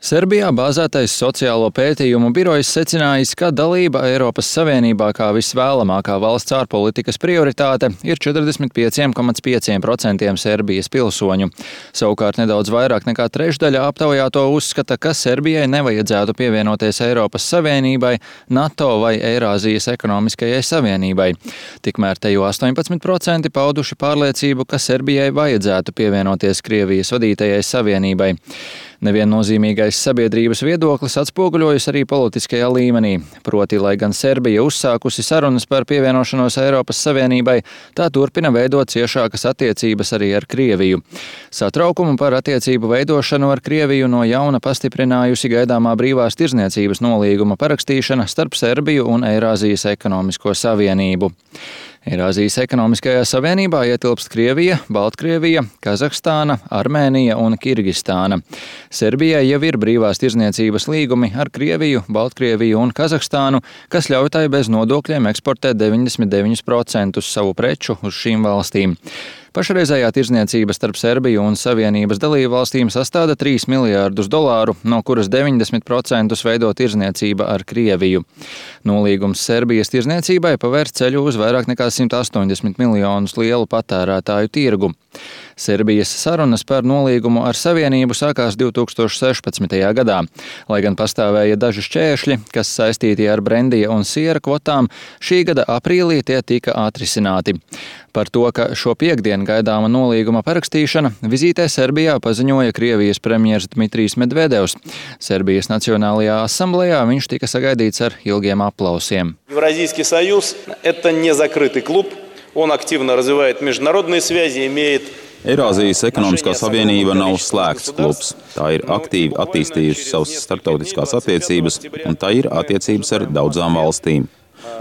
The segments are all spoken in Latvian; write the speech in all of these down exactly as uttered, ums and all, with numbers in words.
Serbijā bāzētais sociālo pētījumu birojs secinājis, ka dalība Eiropas Savienībā kā visvēlamākā valsts ārpolitikas prioritāte ir četrdesmit pieci komats pieci procenti Serbijas pilsoņu. Savukārt nedaudz vairāk nekā trešdaļa aptaujāto uzskata, ka Serbijai nevajadzētu pievienoties Eiropas Savienībai, NATO vai Eirāzijas ekonomiskajai savienībai. Tikmēr te jau astoņpadsmit procenti pauduši pārliecību, ka Serbijai vajadzētu pievienoties Krievijas vadītajai savienībai. Neviennozīmīgais sabiedrības viedoklis atspoguļojas arī politiskajā līmenī. Proti, lai gan Serbija uzsākusi sarunas par pievienošanos Eiropas Savienībai, tā turpina veidot ciešākas attiecības arī ar Krieviju. Satraukumu par attiecību veidošanu ar Krieviju no jauna pastiprinājusi gaidāmā brīvās tirdzniecības nolīguma parakstīšana starp Serbiju un Eirāzijas ekonomisko savienību. Eirāzijas ekonomiskajā savienībā ietilpst Krievija, Baltkrievija, Kazahstāna, Armēnija un Kirgistāna. Serbijai jau ir brīvās tirdzniecības līgumi ar Krieviju, Baltkrieviju un Kazahstānu, kas ļauj tai bez nodokļiem eksportēt deviņdesmit deviņus procentus savu preču uz šīm valstīm. Pašreizējā tirdzniecība starp Serbiju un Savienības dalību valstīm sastāda trīs miljārdus dolāru, no kuras deviņdesmit procentus veido tirdzniecība ar Krieviju. Nolīgums Serbijas tirdzniecībai pavērs ceļu uz vairāk nekā simt astoņdesmit miljonus lielu patērētāju tirgu. Serbijas sarunas par nolīgumu ar Savienību sākās divi tūkstoši sešpadsmitajā gadā. Lai gan pastāvēja daži šķēršļi, kas saistīti ar brendija un siera kvotām, šī gada aprīlī tie tika atrisināti. Par to, ka šo piekdienu gaidāma nolīguma parakstīšana, vizītē Serbijā paziņoja Krievijas premjers Dmitrijs Medvedevs. Serbijas Nacionālajā asamblejā viņš tika sagaidīts ar ilgiem aplausiem. Евразийский союз – это не закрытый клуб, он активно развивает международные связи, имеет Eirāzijas ekonomiskā savienība nav slēgts klubs. Tā ir aktīvi attīstījusi savas starptautiskās attiecības, un tā ir attiecības ar daudzām valstīm.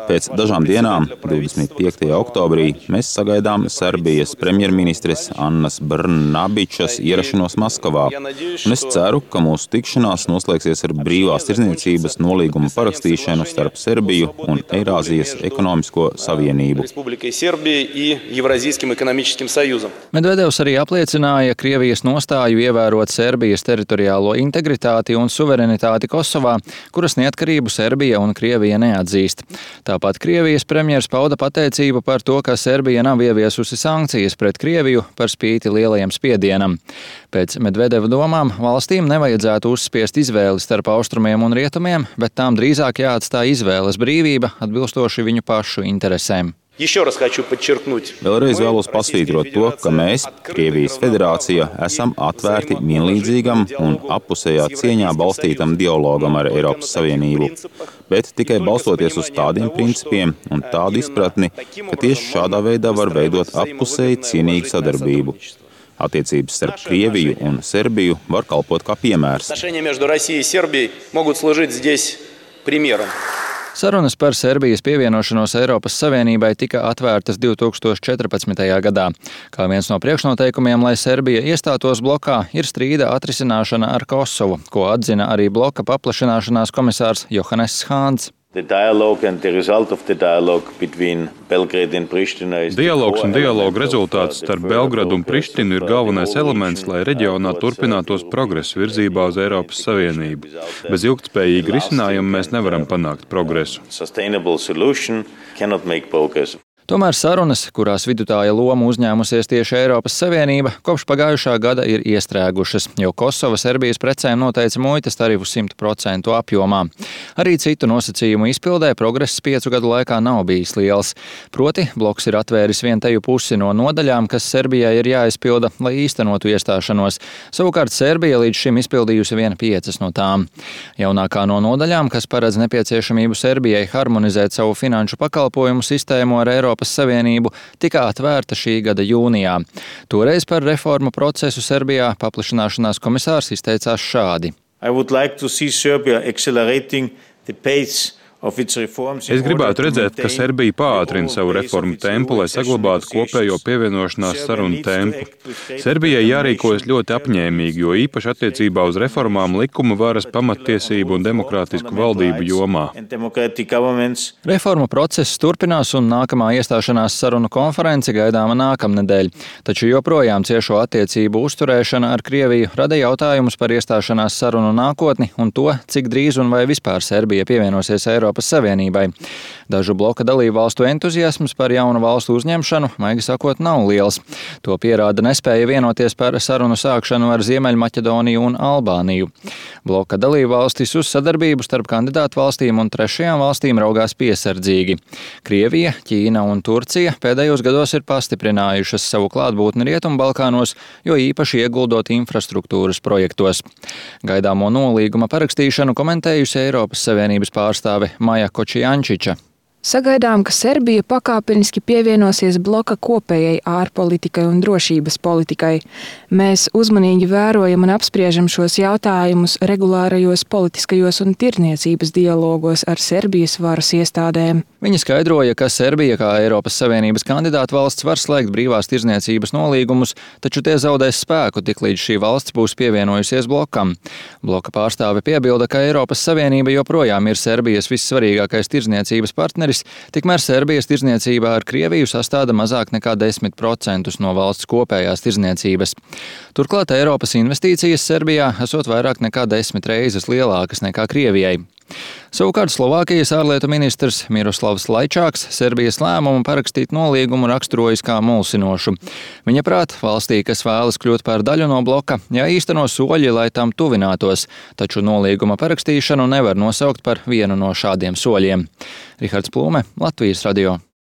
Pēc dažām dienām, divdesmit piektajā oktobrī, mēs sagaidām Serbijas premjerministres Annas Brnabičas ierašanos Maskavā, un es ceru, ka mūsu tikšanās noslēgsies ar brīvās tirdzniecības nolīguma parakstīšanu starp Serbiju un Eirāzijas ekonomisko savienību. Medvedevs arī apliecināja Krievijas nostāju ievērot Serbijas teritoriālo integritāti un suverenitāti Kosovā, kuras neatkarību Serbija un Krievija neatzīst. Tāpat Krievijas premjers pauda pateicību par to, ka Serbija nav ieviesusi sankcijas pret Krieviju par spīti lielajam spiedienam. Pēc Medvedeva domām valstīm nevajadzētu uzspiest izvēli starp austrumiem un rietumiem, bet tām drīzāk jāatstāj izvēles brīvība atbilstoši viņu pašu interesēm. Vēlreiz vēlos pasvītrot to, ka mēs, Krievijas federācija, esam atvērti vienlīdzīgam un appusējā cieņā balstītam dialogam ar Eiropas Savienību, bet tikai balstoties uz tādiem principiem un tādu izpratni, ka tieši šādā veidā var veidot appusēji cienīgu sadarbību. Attiecības starp Krieviju un Serbiju var kalpot kā piemērs. Sarunas par Serbijas pievienošanos Eiropas Savienībai tika atvērtas divi tūkstoši četrpadsmitajā gadā. Kā viens no priekšnoteikumiem, lai Serbija iestātos blokā, ir strīda atrisināšana ar Kosovu, ko atzina arī bloka paplašināšanās komisārs Johannes Hāns. Dialogs un dialoga rezultāts starp Belgradu un Prištinu ir galvenais elements, lai reģionā turpinātos progresu virzībā uz Eiropas Savienību. Bez ilgtspējīga risinājuma mēs nevaram panākt progresu. Tomēr sarunas, kurās vidutāja loma uzņēmusies tieši Eiropas Savienība, kopš pagājušā gada ir iestrēgušas, jo Kosova Serbijas precēm noteica muitas tarifu simt procentu apjomā. Arī citu nosacījumu izpildē progress piecu gadu laikā nav bijis liels. Proti, bloks ir atvēris vienteju pusi no nodaļām, kas Serbijai ir jāizpilda, lai īstenotu iestāšanos. Savukārt Serbija līdz šim izpildījusi vien piecas no tām. Jaunākā no nodaļām, kas paredz nepieciešamību Serbijai harmonizēt savu finanšu pakalpojumu sistēmu ar Eiropas Savienību, tika atvērta šī gada jūnijā. Toreiz par reformu procesu Serbijā paplašināšanās komisārs izteicās šādi. I would like to see Serbia accelerating the pace Es gribētu redzēt, ka Serbija pātrina savu reformu tempu, lai saglabātu kopējo pievienošanās sarunu tempu. Serbijai jārīkojas ļoti apņēmīgi, jo īpaši attiecībā uz reformām likuma varas, pamattiesību un demokrātisku valdību jomā. Reformu process turpinās un nākamā iestāšanās sarunu konference gaidāma nākamnedēļ, taču joprojām ciešo attiecību uzturēšana ar Krieviju rada jautājumus par iestāšanās sarunu nākotni un to, cik drīz un vai vispār Serbija pievienosies Eiropas Savienībai. Dažu bloka dalību valstu entuziasms par jaunu valstu uzņemšanu, maigi sakot, nav liels. To pierāda nespēja vienoties par sarunu sākšanu ar Ziemeļmaķedoniju un Albāniju. Bloka dalību valstis uz sadarbību starp kandidātu valstīm un trešajām valstīm raugās piesardzīgi. Krievija, Ķīna un Turcija pēdējos gados ir pastiprinājušas savu klātbūtni Rietumbalkānos, jo īpaši ieguldot infrastruktūras projektos. Gaidāmo nolīguma parakstīšanu komentējusi Eiropas Savienības pārstāve Maja Kočijančiča. Sagaidām, ka Serbija pakāpeniski pievienosies bloka kopējai ārpolitikai un drošības politikai. Mēs uzmanīgi vērojam un apspriežam šos jautājumus regulārajos politiskajos un tirniecības dialogos ar Serbijas varas iestādēm. Viņa skaidroja, ka Serbija kā Eiropas Savienības kandidāta valsts var slēgt brīvās tirniecības nolīgumus, taču tie zaudēs spēku, tiklīdz šī valsts būs pievienojusies blokam. Bloka pārstāve piebilda, ka Eiropas Savienība joprojām ir Serbijas vissvarīgākais tirniecības partneris, tikmēr Serbijas tirdzniecībā ar Krieviju sastāda mazāk nekā desmit procentus no valsts kopējās tirdzniecības. Turklāt Eiropas investīcijas Serbijā esot vairāk nekā desmit reizes lielākas nekā Krievijai. Savukārt Slovākijas ārlietu ministrs Miroslavs Laičāks Serbijas lēmumu parakstīt nolīgumu raksturojas kā mulsinošu. Viņa prāt, valstī, kas vēlas kļūt par daļu no bloka, jāīsteno soļi, lai tam tuvinātos, taču nolīguma parakstīšanu nevar nosaukt par vienu no šādiem soļiem. Rihards Plūme, Latvijas radio.